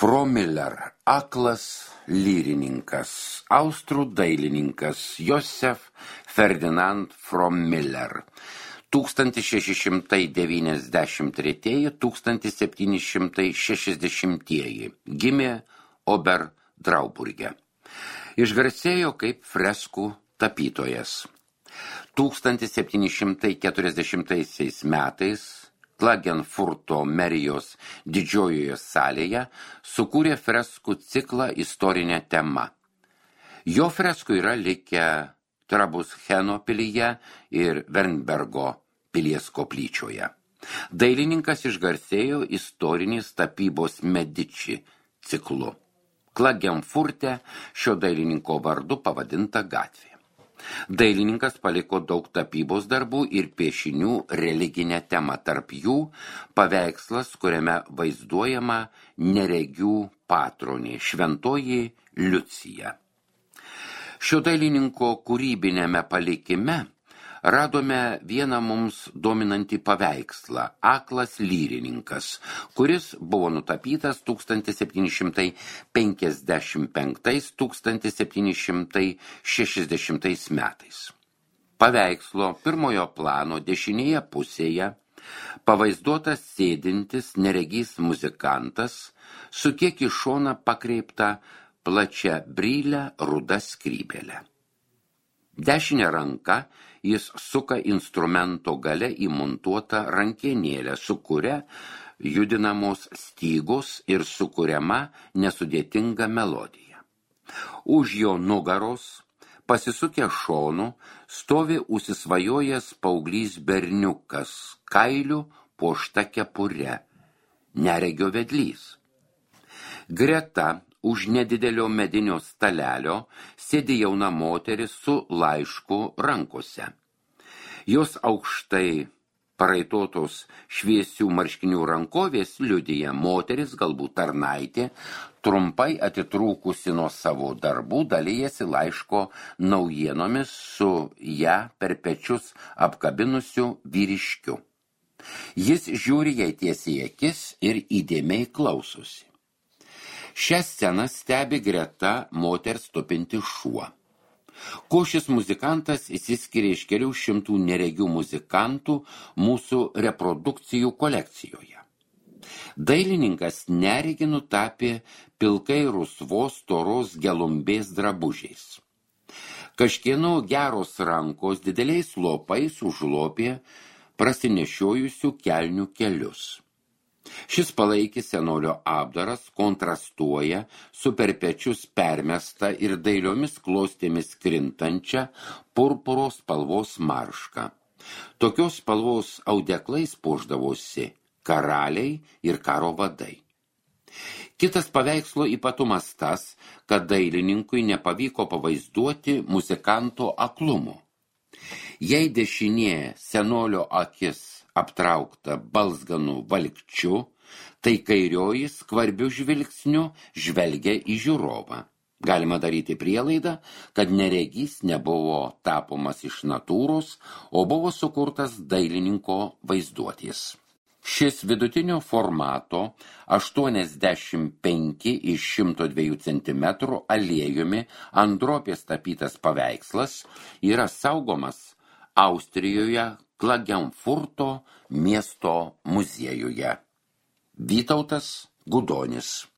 Fromiller, aklas lyrininkas, austrų dailininkas Josef Ferdinand Fromiller 1693–1760 gimė Oberdrauburge. Išgarsėjo kaip freskų tapytojas. 1740 metais Klagenfurto merijos didžiojoje salėje sukūrė freskų ciklą istorinė tema. Jo freskų yra likę Trabuscheno pilyje ir Wernbergo pilies koplyčioje. Dailininkas išgarsėjo istorinės tapybos Medici ciklu. Klagenfurte šio dailininko vardu pavadinta gatvė. Dailininkas paliko daug tapybos darbų ir piešinių religinę temą, tarp jų paveikslas, kuriame vaizduojama neregių patronė, šventoji Liucija. Šio dailininko kūrybinėme palikime radome vieną mums dominantį paveikslą – aklas lyrininkas, kuris buvo nutapytas 1755–1760 metais. Paveikslo pirmojo plano dešinėje pusėje pavaizduotas sėdintis neregys muzikantas su kiek į šoną pakreipta plačia brylę ruda skrybėlė. Dešinė ranka jis suka instrumento gale įmontuotą rankenėlę, su kuria judinamos stygos ir sukuriama nesudėtinga melodija. Už jo nugaros, pasisukę šonu, stovi užsisvajojęs paauglys berniukas, kailiu puošta kepure, neregio vedlys. Greta už nedidelio medinio stalelio sėdi jauna moteris su laišku rankose. Jos aukštai paraitotos šviesių marškinių rankovės liudija moteris, galbūt tarnaitė, trumpai atitrūkusi nuo savo darbų, dalijasi laiško naujienomis su ją per pečius apkabinusiu vyriškiu. Jis žiūri jai tiesiai į akis ir įdėmiai klausosi. Šią sceną stebi greta moters tupinti šuo. Kuo šis muzikantas išsiskiria iš kelių šimtų neregių muzikantų mūsų reprodukcijų kolekcijoje. Dailininkas neregį nutapė pilkai rusvos storos gelumbės drabužiais. Kažkieno geros rankos dideliais lopais užlopė prasinešiojusių kelnių kelius. Šis palaikis senolio apdaras kontrastuoja su per pečius permesta ir dailiomis klostėmis krintančia purpuros spalvos marška. Tokios spalvos audeklais puošdavosi karaliai ir karo vadai. Kitas paveikslo ypatumas tas, kad dailininkui nepavyko pavaizduoti muzikanto aklumo. Jei dešinė senolio akis aptraukta balzganų valkčiu, tai kairioji skvarbiu žvilgsniu žvelgia į žiūrovą. Galima daryti prielaidą, kad neregys nebuvo tapomas iš natūros, o buvo sukurtas dailininko vaizduotės. Šis vidutinio formato 85x102 cm aliejumi ant drobės tapytas paveikslas yra saugomas Austrijoje Klagenfurto miesto muziejuje. Vytautas Gudonis.